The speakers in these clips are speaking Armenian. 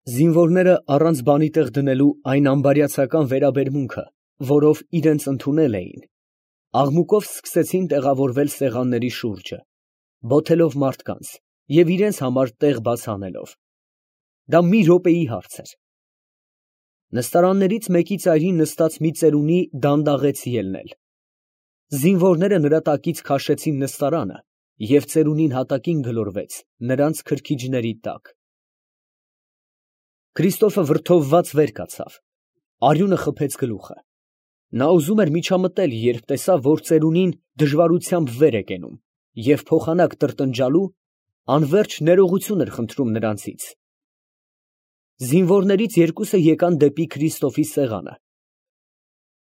Զինվորները առանց բանի տեղ դնելու այն ամբարյացական վերաբերմունքը, որով իրենց ընդունել էին, աղմուկով սկսեցին տեղավորվել սեղանների շուրջը, բոթելով մարդկանց և իրենց համար տեղ բաց անելով։ Դա մի րոպեի հարց էր։ Նստարաններից մեկի ծայրին նստած մի ծերունի դանդաղեց ելնել։ Զինվորները նրա տակից քաշեցին նստարանը, և ծերունին հատակին գլորվեց նրանց քրքիջների տակ։ Քրիստոֆը վրդովված վեր կացավ, արյունը խփեց գլուխը։ Նա ուզում էր միջամտել, երբ տեսավ, որ ծերունին դժվարությամբ վեր է կենում և փոխանակ տրտնջալու անվերջ ներողություն էր խնդրում նրանցից։ Զինվորներից երկուսը եկան դեպի Քրիստոֆի սեղանը։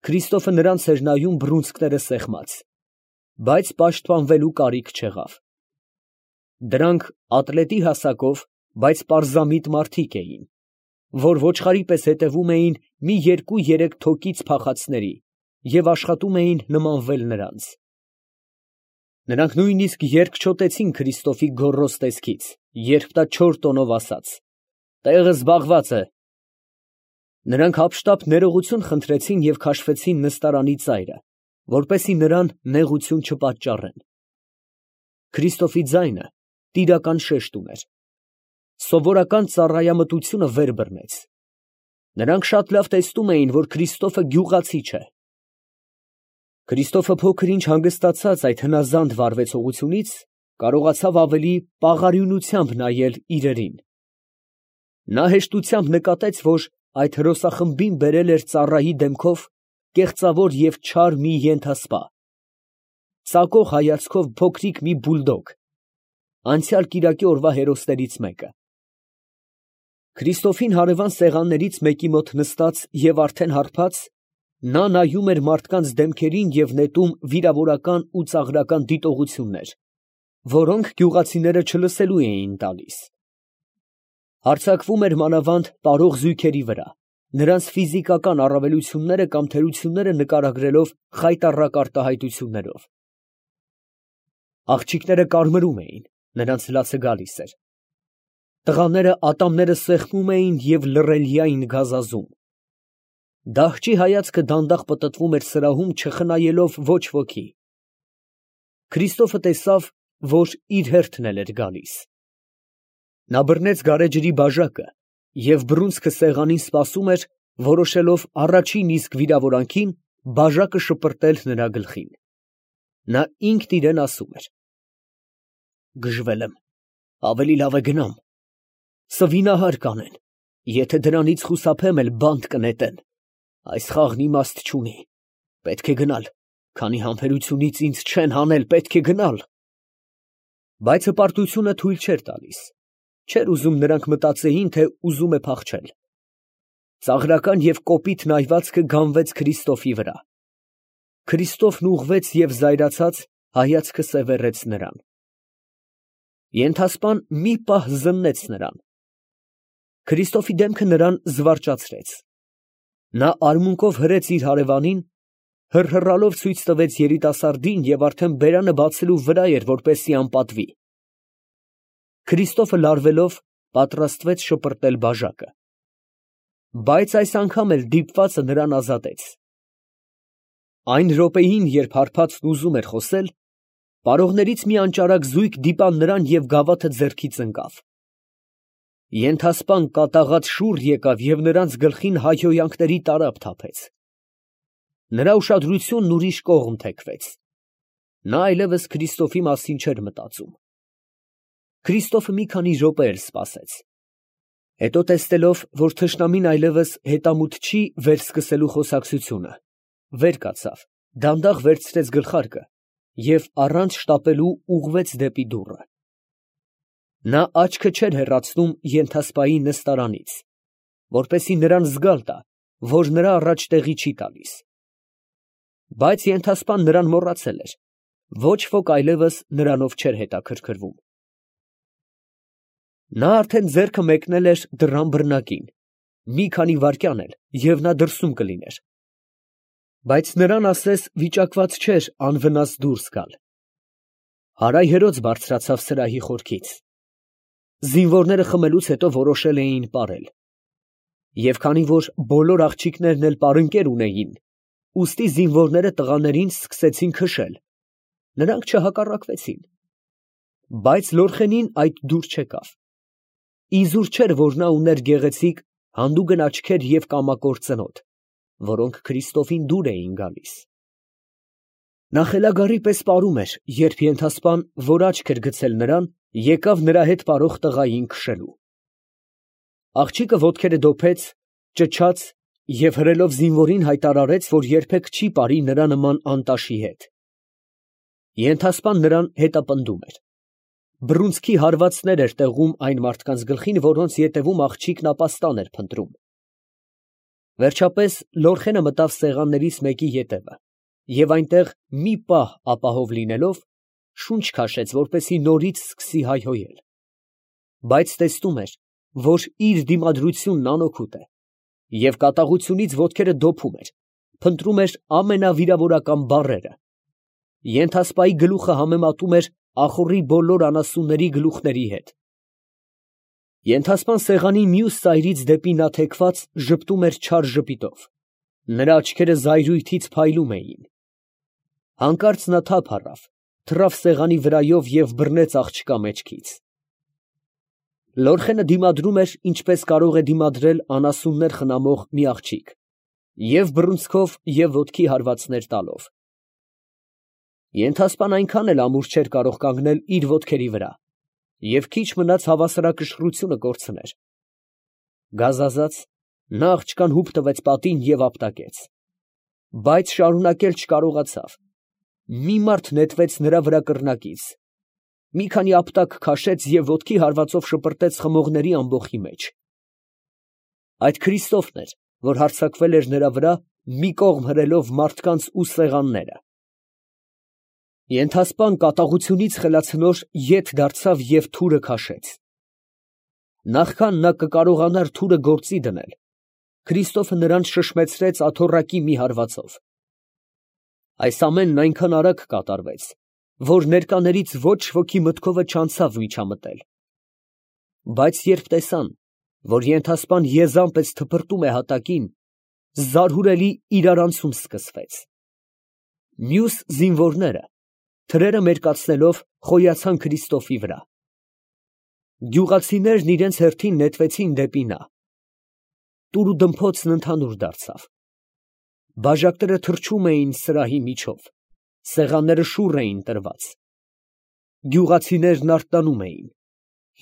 Քրիստոֆը նրանց էր նայում բռունցքները սեղմած, բայց պաշտպանվելու կարիք չեղավ։ Դրանք ատլետի հասակով, բայց պարզամիտ մարդիկ էին, որ ոչխարի պես հետևում էին մի երկու-երեք թոկից փախածների և աշխատում էին նմանվել նրանց։ Նրանք նույնիսկ երկչոտեցին Քրիստոֆի գոռոզ տեսքից, երբ նա չոր տոնով ասաց. «Տեղը զբաղված է»։ Նրանք հափշտապ ներողություն խնդրեցին և քաշվեցին նստարանի ծայրը, որպեսզի նրան նեղություն չպատճառեն։ Քրիստոֆի ձայնը տիրական շեշտ ուներ։ Սովորական ծառայամտությունը վեր բռնեց։ Նրանք շատ լավ տեսնում էին, որ Քրիստոֆը գյուղացի չէ։ Քրիստոֆը փոքր ինչ հանգստացած այդ հնազանդ վարվեցողությունից, կարողացավ ավելի պաղարյունությամբ նայել իրերին։ Նա հեշտությամբ նկատեց, որ այդ հրոսախմբին բերել էր ծառայի դեմքով կեղծավոր և չար մի ենթասպա, ծակող հայացքով փոքրիկ մի բուլդոգ, անցյալ կիրակի օրվա հերոսներից մեկը։ Քրիստոֆին հարևան սեղաններից մեկի մոտ նստած և արդեն հարբած, նա նայում էր մարդկանց դեմքերին և նետում վիրավորական ու ծաղրական դիտողություններ, որոնք գյուղացիները չլսելու էին տալիս։ Հարձակվում էր մանավանդ պարող զույգերի վրա, նրանց ֆիզիկական առավելությունները կամ թերությունները նկարագրելով խայտառակ արտահայտություններով։ Աղջիկները կարմրում էին, նրանց լացը գալիս էր։ Տղաները ատամները սեղմում էին և լռելյային գազազում։ Դահճի հայացքը դանդաղ պտտվում էր սրահում, չխնայելով ոչ ոքի։ Քրիստոֆը տեսավ, որ իր հերթն էլ էր գալիս։ Նա բռնեց գարեջրի բաժակը և բռունցքը սեղանին սպասում էր, որոշելով առաջին իսկ վիրավորանքին բաժակը շպրտել նրա գլխին։ Նա ինքն իրան ասում էր. «Գժվել եմ, ավելի լավ է գնամ, սվինահար կանեն, եթե դրանից խուսափեմ էլ բանտ կնետեն, այս խաղն իմաստ չունի, պետք է գնալ, քանի համբերությունից ինձ չեն հանել, պետք է գնալ»։ Բայց հպարտությունը թույլ չէր տալիս, չէր ուզում նրանք մտածեին, թե ուզում է փախչել։ Ծաղրական և կոպիտ նայվածքը գանվեց Քրիստոֆի վրա։ Քրիստոֆն ուղղվեց և զայրացած հայացքը սևեռեց նրան։ Ենթասպան մի պահ զննեց նրան։ Քրիստոֆի դեմքը նրան զվարճացրեց։ Նա արմունկով հրեց իր հարևանին, հռհռալով ցույց տվեց երիտասարդին և արդեն բերանը բացելու վրա էր, որպեսզի անպատվի։ Քրիստոֆը լարվելով պատրաստվեց շպրտել բաժակը։ Բայց այս անգամ էլ դիպվածը նրան ազատեց։ Այն րոպեին, երբ հարբածն ուզում էր խոսել, պարողներից մի անճարակ զույգ դիպան նրան և գավաթը ձեռքից ընկավ։ Ենթասպան կատաղած շուռ եկավ և նրանց գլխին հայհոյանքների տարափ թափեց։ Նրա ուշադրությունն ուրիշ կողմ թեքվեց։ Նա այլևս Քրիստոֆի մասին չէր մտածում։ Քրիստոֆը մի քանի րոպե էլ սպասեց։ Հետո տեսնելով, որ թշնամին այլևս հետամուտ չի վերսկսելու խոսակցությունը, վեր կացավ, դանդաղ վերցրեց գլխարկը և առանց շտապելու ուղղվեց դեպի դուռը։ Նա աչքը չէր հեռացնում ենթասպայի նստարանից, որպեսզի նրան զգալ տա, որ նրա առաջ տեղի չի տալիս։ Բայց ենթասպան նրան մոռացել էր, ոչ ոք այլևս նրանով չէր հետաքրքրվում։ Նա արդեն ձեռքը մեկնել էր դռան բռնակին, մի քանի վայրկյան էլ, և նա դրսում կլիներ։ Բայց նրան ասես վիճակված չէր անվնաս դուրս գալ։ Հարայհերոց բարձրացավ սրահի խորքից։ Զինվորները խմելուց հետո որոշել էին պարել։ Եվ քանի որ բոլոր աղջիկներն էլ պարընկեր ունեին, ուստի զինվորները տղաներին սկսեցին քշել, նրանք չհակառակվեցին. բայց Լորխենին այդ դուր չեկավ. իզուր չէր, որ նա ուներ գեղեցիկ հանդուգն աչքեր և կամակոր ծնոտ, որոնք Քրիստոֆին դուր էին գալիս։ Նա խելագարի պես պարում էր, երբ ենթասպան, որ աչք էր գցել նրան, եկավ նրա հետ պարող տղային քշելու։ Աղջիկը ոտքերը դոփեց, ճչաց և հրելով զինվորին հայտարարեց, որ երբեք չի պարի նրա նման անտաշի հետ։ Ենթասպան նրան հետապնդում էր։ Բռունցքի հարվածներ էր տեղում այն մարդկանց գլխին, որոնց ետևում աղջիկն ապաստան էր փնտրում։ Վերջապես Լորխենը մտավ սեղաններից մեկի ետևը և այնտեղ մի պահ ապահով լինելով, շունչ քաշեց, որպեսզի նորից սկսի հայհոյել։ Բայց տեսնում էր, որ իր դիմադրությունն անօգուտ է, և կատաղությունից ոտքերը դոփում էր, փնտրում էր ամենավիրավորական բառերը։ Ենթասպայի գլուխը համեմատում էր ախոռի բոլոր անասունների գլուխների հետ։ Ենթասպան սեղանի մյուս ծայրից դեպի նա թեքված ժպտում էր չար ժպիտով։ Նրա աչքերը զայրույթից փայլում էին։ Հանկարծ նա թափ առավ, թռավ սեղանի վրայով և բռնեց աղջկա մեջքից։ Լորխենը դիմադրում էր, ինչպես կարող է դիմադրել անասուններ խնամող մի աղջիկ, և բռունցքով և ոտքի հարվածներ տալով։ Ենթասպան այնքան էլ ամուր չէր կարող կանգնել իր ոտքերի վրա, և քիչ մնաց հավասարակշռությունը կորցներ։ Գազազած, նա աղջկան հուպ տվեց պատին և ապտակեց։ Բայց շարունակել չկարողացավ։ Մի մարդ նետվեց նրա վրա կռնակից, մի քանի ապտակ քաշեց և ոտքի հարվածով շպրտեց խմողների ամբոխի մեջ։ Այդ Քրիստոֆն էր, որ հարձակվել էր նրա վրա, մի կողմ հրելով մարդկանց ու սեղանները։ Ենթասպան կատաղությունից խելացնոր ետ դարձավ և թուրը քաշեց։ Նախքան նա կկարողանար թուրը գործի դնել, Քրիստոֆը նրան շշմեցրեց աթոռակի մի հարվածով։ Այս ամենն այնքան արագ կատարվեց, որ ներկաներից ոչ ոքի մտքովը չանցավ միջամտել։ Բայց երբ տեսան, որ ենթասպան եզան պես թփրտում է հատակին, զարհուրելի իրարանցում սկսվեց։ Մյուս զինվորները, թրերը մերկացնելով, խոյացան Քրիստոֆի վրա։ Գյուղացիներն իրենց հերթին նետվեցին դեպի նա։ Տուրուդմփոցն ընդհանուր դարձավ։ Բաժակները թռչում էին սրահի միջով, սեղանները շուռ էին տրված։ Գյուղացիներն արթնանում էին,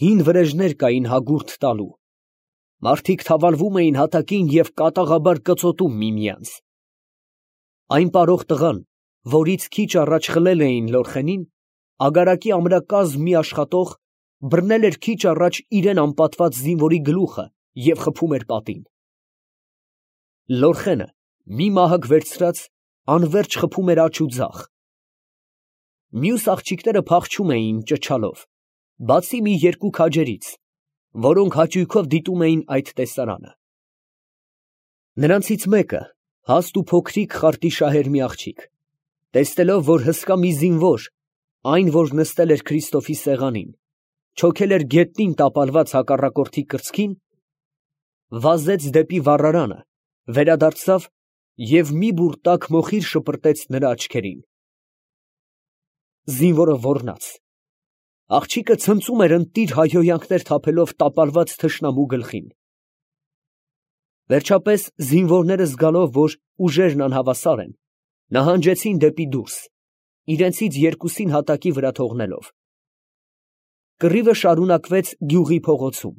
հին վրեժներ կային հագուրդ տալու։ Մարդիկ թավալվում էին հատակին և կատաղաբար կծոտում միմյանց։ Այն պարող տղան, որից քիչ առաջ խլել էին Լորխենին, ագարակի ամրակազմ մի աշխատող, բռնել էր քիչ առաջ իրան անպատված զինվորի գլուխը և խփում էր պատին։ Լորխենը, մի մահակ վերցրած, անվերջ խփում էր աջ ու ձախ։ Մյուս աղջիկները փախչում էին ճչալով, բացի մի երկու քաջերից, որոնք հաճույքով դիտում էին այդ տեսարանը։ Նրանցից մեկը, հաստ ու փոքրիկ խարտիշահեր մի աղջիկ, տեսնելով, որ հսկա մի զինվոր, այն, որ նստել էր Քրիստոֆի սեղանին, չոքել էր գետնին տապալված հակառակորդի կրծքին, վազեց դեպի վառարանը, վերադարձավ և մի բուռ տաք մոխիր շպրտեց նրա աչքերին։ Զինվորը ոռնաց։ Աղջիկը ցնծում էր ընտիր հայհոյանքներ թափելով տապալված թշնամու գլխին։ Վերջապես զինվորները զգալով, որ ուժերն անհավասար են, նահանջեցին դեպի դուրս, իրենցից երկուսին հատակի վրա թողնելով։ Կռիվը շարունակվեց գյուղի փողոցում։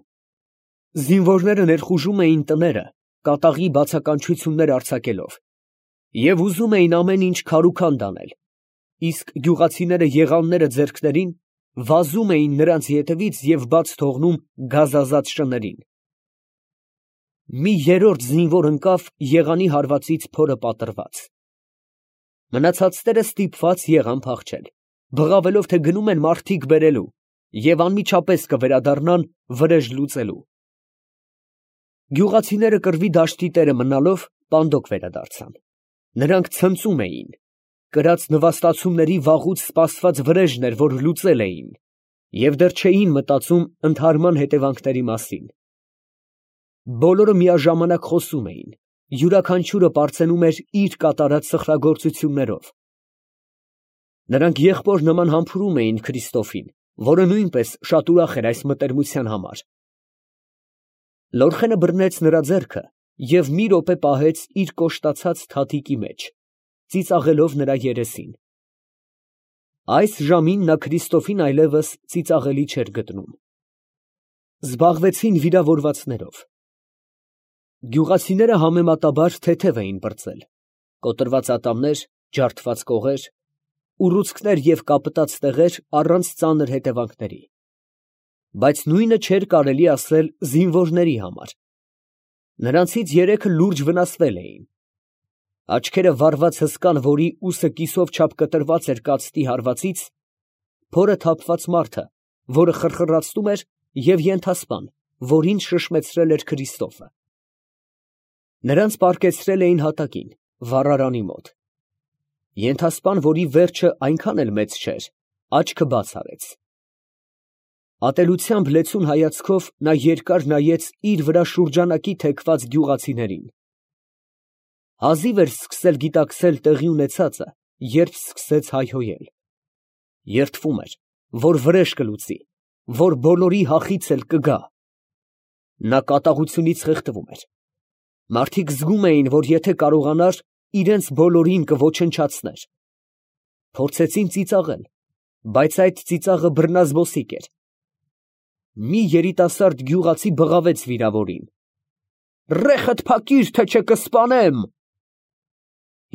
Զինվորները ներխուժում էին տները, կատաղի բացականչություններ արձակելով, և ուզում էին ամեն ինչ քարուքանդ անել, իսկ գյուղացիները եղանները ձեռքներին վազում էին նրանց ետևից և բաց թողնում գազազած շներին։ Մի երրորդ զինվոր ընկավ եղանի հարվածից փորը պատռված։ Մնացածները ստիպված եղան փախչել, բղավելով, թե գնում են մարդիկ բերելու և անմիջապես կվերադառնան վրեժ լուծելու։ Գյուղացիները կռվի դաշտի տերը մնալով պանդոկ վերադարձան։ Նրանք ցնծում էին, կրած նվաստացումների վաղուց սպասված վրեժն էր, որ լուծել էին, և դեռ չէին մտածում ընդհարման հետևանքների մասին։ Բոլորը միաժամանակ խոսում էին, յուրաքանչյուրը պարծենում էր իր կատարած սխրագործություններով։ Նրանք եղբոր նման համբուրում էին Քրիստոֆին, որը նույնպես շատ ուրախ էր այս մտերմության համար։ Լորխենը բռնեց նրա ձեռքը և մի րոպե պահեց իր կոշտացած թաթիկի մեջ, ծիծաղելով նրա երեսին։ Այս ժամին նա Քրիստոֆին այլևս ծիծաղելի չէր գտնում։ Զբաղվեցին վիրավորվածներով։ Գյուղացիները համեմատաբար թեթև էին պրծել. կոտրված ատամներ, ջարդված կողեր, ուռուցքներ և կապտած տեղեր առանց ծանր հետևանքների։ Բայց նույնը չէր կարելի ասել զինվորների համար։ Նրանցից երեքը լուրջ վնասվել էին։ Աչքերը վառված հսկան, որի ուսը կիսով չափ կտրված էր կացտի հարվածից, փորը թափված մարդը, որը խրխրացնում էր, և ենթասպան, որին շշմեցրել էր Քրիստոֆը։ Նրանց պառկեցրել էին հատակին, վառարանի մոտ։ Ենթասպան, որի վերջը այնքան էլ մեծ չէր, աչքը բաց արեց։ Ատելությամբ լեցուն հայացքով նա երկար նայեց իր վրա շուրջանակի թեքված գյուղացիներին։ Հազիվ էր սկսել գիտակցել տեղի ունեցածը, երբ սկսեց հայհոյել։ Երդվում էր, որ վրեժ կլուծի, որ բոլորի հախից էլ կգա։ Նա կատաղությունից խեղդվում էր։ Մարդիկ զգում էին, որ եթե կարողանար, իրենց բոլորին կոչնչացներ։ Փորձեցին ծիծաղել, բայց այդ ծիծաղը բռնազբոսիկ էր։ Մի երիտասարդ գյուղացի բղավեց վիրավորին. «Ռեխդ փակիր, թե չէ կսպանեմ»։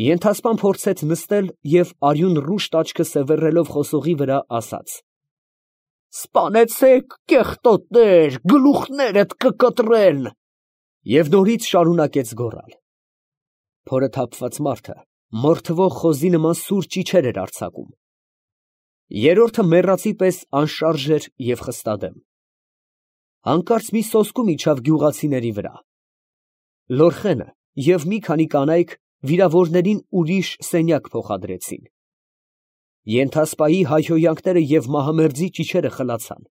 Ենթասպան փորձեց նստել և արյուն ռուշտ աչքը սևեռելով խոսողի վրա ասաց. «Սպանեցեք, կեղտոտներ, գլուխներդ կկտրեն», և նորից շարունակեց գոռալ։ Փորը թափված մարդը մորթվող խոզի նման սուր ճիչեր էր արձակում։ Երրորդը մեռածի պես անշարժ էր և խստադեմ։ Հանկարծ մի սոսկում իջավ գյուղացիների վրա։ Լորխենը և մի քանի կանայք վիրավորներին ուրիշ սենյակ փոխադրեցին։ Ենթասպայի հայհոյանքները և մահամերձի ճիչերը խլացան։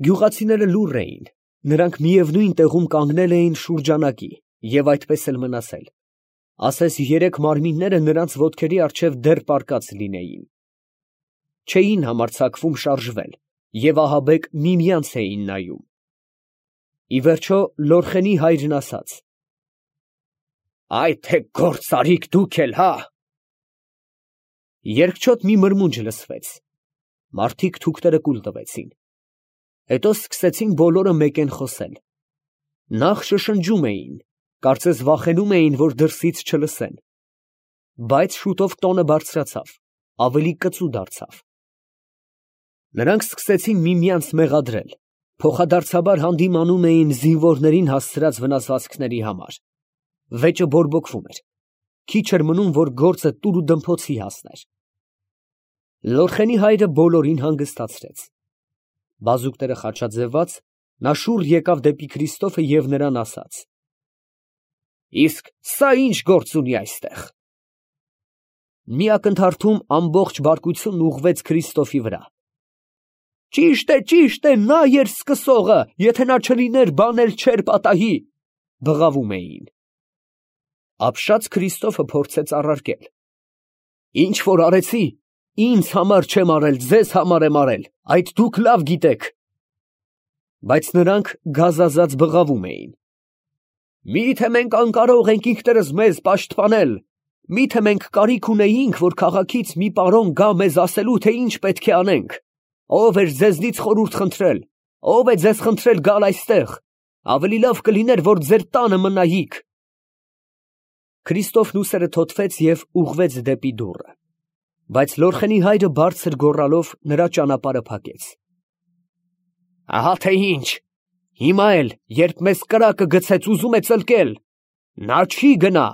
Գյուղացիները լուռ էին, նրանք միևնույն տեղում կանգնել էին շուրջանակի և այդպես էլ մնացել, ասես երեք մարմինները նրանց ոտքերի առջև դեռ պառկած լինեին։ Չէին համարձակվում շարժվել և ահաբեկ միմյանց էին նայում։ Ի վերջո Լորխենի հայրն ասաց. «Այ թե գործարիք դուք էլ, հա»։ Երկչոտ մի մրմունջ լսվեց։ Մարդիկ թուքները կուլ տվեցին։ Հետո սկսեցին բոլորը մեկեն խոսել։ Նախ շշնջում էին, կարծես վախենում էին, որ դրսից չլսեն։ Բայց շուտով տոնը բարձրացավ, ավելի կծու դարձավ։ Նրանք սկսեցին միմյանց մեղադրել, փոխադարձաբար հանդիմանում էին զինվորներին հասցրած վնասվածքների համար։ Վեճը բորբոքվում էր։ Քիչ էր մնում, որ գործը տուր ու դմփոցի հասներ։ Լորխենի հայրը բոլորին հանգստացրեց։ Բազուկները խաչաձևված, նա շուռ եկավ դեպի Քրիստոֆը և նրան ասաց. «Իսկ սա ի՞նչ գործ ունի այստեղ»։ Մի ակնթարթում ամբողջ բարկությունն ուղղվեց Քրիստոֆի վրա։ Ճիշտ է, նա էր սկսողը, եթե նա չլիներ, բան էլ չէր պատահի, բղավում էին։ Ապշած Քրիստոֆը փորձեց առարկել. «Ինչ որ արեցի, ինձ համար չեմ արել, ձեզ համար եմ արել, այդ դուք լավ գիտեք»։ Բայց նրանք գազազած բղավում էին. «Մի՞թե մենք անկարող ենք ինքներս մեզ պաշտպանել, մի՞թե մենք կարիք ունեինք, որ քաղաքից մի պարոն գա մեզ ասելու, թե ինչ պետք է անենք։ Ո՞վ էր ձեզնից խորհուրդ խնդրել, ո՞վ է ձեզ խնդրել գալ այստեղ, ավելի լավ կլիներ, որ ձեր տանը մնայիք»։ Քրիստոֆն ուսերը թոթվեց և ուղղվեց դեպի դուռը, բայց Լորխենի հայրը բարձր գոռալով նրա ճանապարհը փակեց։ «Ահա թե ինչ, հիմա էլ, երբ մեզ կրակը գցեց, ուզում է ծլկել, նա չի գնա»,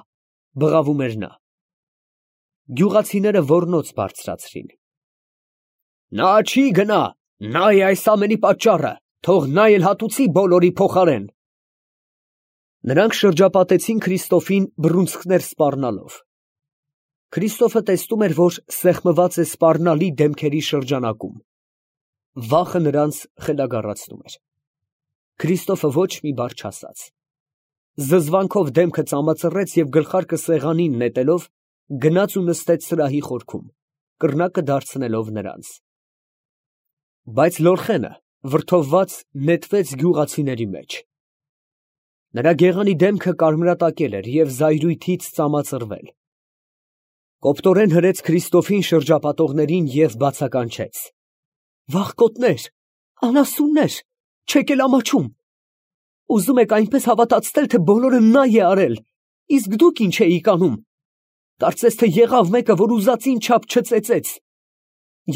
բղավում էր նա։ Գյուղացիները ոռնոց բարձրացրին։ «Նա չի գնա, նա է այս ամենի պատճառը, թող նա էլ հատուցի բոլորի փոխարեն»։ Նրանք շրջապատեցին Քրիստոֆին բռունցքներ սպառնալով։ Քրիստոֆը տեսնում էր, որ սեղմված է սպառնալի դեմքերի շրջանակում։ Վախը նրանց խելագարացնում էր։ Քրիստոֆը ոչ մի բառ չասաց։ Զզվանքով դեմքը ծամածռեց և գլխարկը սեղանին նետելով, գնաց ու նստեց սրահի խորքում, կռնակը դարձնելով նրանց։ Բայց Լորխենը, վրդովված, նետվեց գյուղացիների մեջ։ Նրա գեղանի դեմքը կարմրատակել էր և զայրույթից ծամածռվել։ Կոպտորեն հրեց Քրիստոֆին շրջապատողներին և բացականչեց. «Վախկոտներ, անասուններ, չեք էլ ամաչում։ Ուզում եք այնպես հավատացնել, թե բոլորը նա է արել, իսկ դուք ինչ էիք անում։ Կարծես թե եղավ մեկը, որ ուզածին չափ չծեծեց։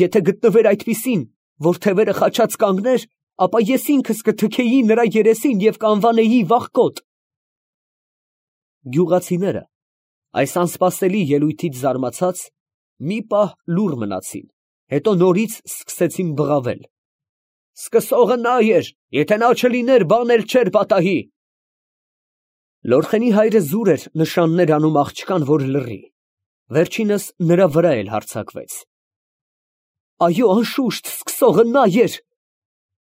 Եթե գտնվեր այդպիսին, որ թևերը խաչած կանգներ, ապա ես ինքս կթքեի նրա երեսին և կանվանեի վախկոտ»։ Գյուղացիները, այս անսպասելի ելույթից զարմացած, մի պահ լուռ մնացին, հետո նորից սկսեցին բղավել. «Սկսողը նա էր, եթե նա չլիներ, բան էլ չէր պատահի»։ Լորխենի հայրը զուր էր նշաններ անում աղջկան, որ լռի, վերջինս նրա վրա էլ հարձակվեց. «Այո, անշուշտ, սկսողը նա էր,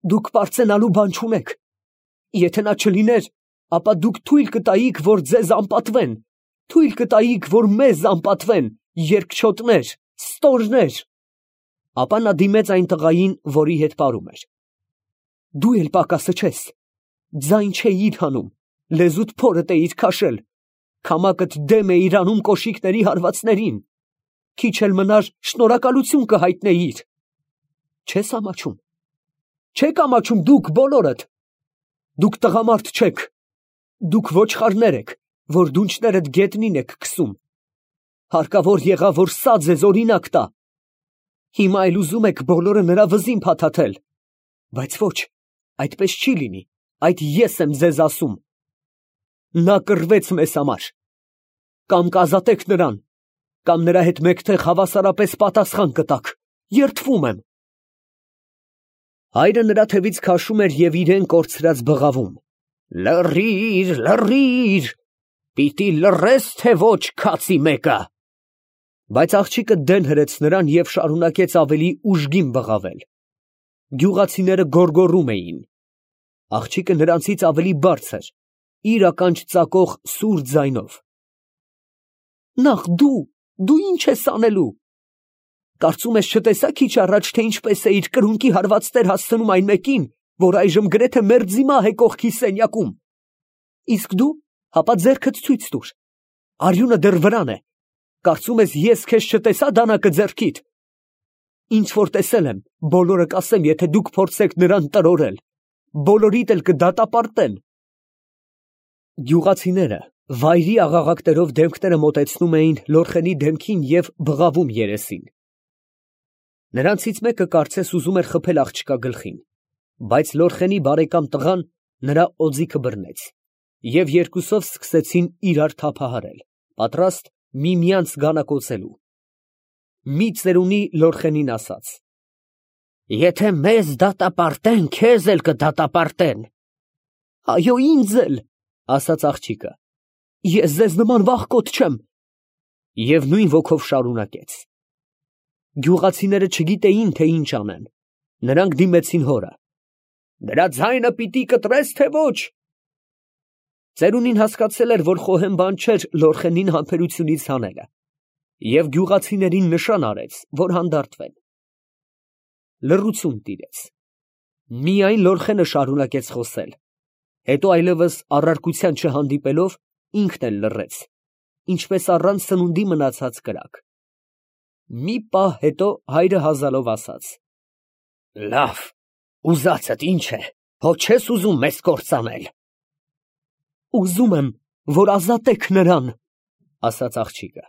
դուք պարծենալու բան չունեք, եթե նա չլիներ, ապա դուք թույլ կտայիք, որ ձեզ անպատվեն, թույլ կտայիք, որ մեզ անպատվեն, երկչոտներ, ստորներ»։ Ապա նա դիմեց այն տղային, որի հետ պարում էր. «Դու էլ պակասը չես, ձայն չէիր հանում, լեզուդ փորդ էիր քաշել, քամակդ դեմ էիր անում կոշիկների հարվածներին, քիչ էլ մնար շնորհակալություն կհայտնեիր։ Չես ամաչում, չեք ամաչում դուք բոլորդ, դուք տղամարդ չեք, դուք ոչխարներ եք, որ դունչներդ գետնին եք քսում։ Հարկավոր եղավ, որ սա ձեզ օրինակ տա։ Հիմա էլ ուզում եք բոլորը նրա վզին փաթաթել, բայց ոչ, այդպես չի լինի, այդ ես եմ ձեզ ասում։ Նա կռվեց մեզ համար, կամ կազատեք նրան, կամ նրա հետ մեկտեղ հավասարապես պատասխան կտաք, երդվում եմ»։ Հայրը նրա թևից քաշում էր և իրեն կորցրած բղավում. «Լռիր, լռիր, պիտի լռես, թե ոչ, քացի մեկը»։ Բայց աղջիկը դեն հրեց նրան և շարունակեց ավելի ուժգին բղավել։ Գյուղացիները գոռգոռում էին։ Աղջիկը նրանցից ավելի բարձր, իր ականջ ծակող սուր ձայնով. «Նախ դու ինչ ես անելու։ Կարծում ես չտեսա քիչ առաջ, թե ինչպես էիր կրունկի հարվածներ հասցնում այն մեկին, որ այժմ գրեթե մերձիմահ է կողքի սենյակում։ Իսկ դու, հապա ձեռքդ ցույց տուր, արյունը դեռ վրան է, կարծում ես ես քեզ չտեսա դանակը ձեռքիդ։ Ինչ որ տեսել եմ, բոլորը կասեմ, եթե դուք փորձեք նրան տրորել, բոլորիդ էլ կդատապարտեն»։ Գյուղացիները վայրի աղաղակներով դեմքները մոտեցնում էին Լորխենի դեմքին և բղավում երեսին։ Նրանցից մեկը կարծես ուզում էր խփել աղջկա գլխին, բայց Լորխենի բարեկամ տղան նրա օձիքը բռնեց, և երկուսով սկսեցին իրար թափահարել, պատրաստ միմյանց գանակոծելու։ Մի ծերունի Լորխենին ասաց. «Եթե մեզ դատապարտեն, քեզ էլ կդատապարտեն»։ «Այո, ինձ էլ», ասաց աղջիկը, «ես ձեզ նման վախկոտ չեմ»։ Եվ նույն ոգով շարունակեց։ Գյուղացիները չգիտեին, թե ինչ անեն, նրանք դիմեցին հորը. «Նրա ձայնը պիտի կտրես, թե ոչ»։ Ծերունին հասկացել էր, որ խոհեմ բան չէր Լորխենին համբերությունից հանելը, և գյուղացիներին նշան արեց, որ հանդարտվեն։ Լռություն տիրեց։ Միայն Լորխենը շարունակեց խոսել, հետո այլևս առարկության չհանդիպելով, ինքն էլ լռեց, ինչպես առանց սնունդի մնացած կրակ։ Մի պահ հետո հայրը հազալով ասաց. «Լավ, ուզածդ ինչ է, հո չես ուզում մեզ կործանել»։ «Ուզում եմ, որ ազատեք նրան», ասաց աղջիկը։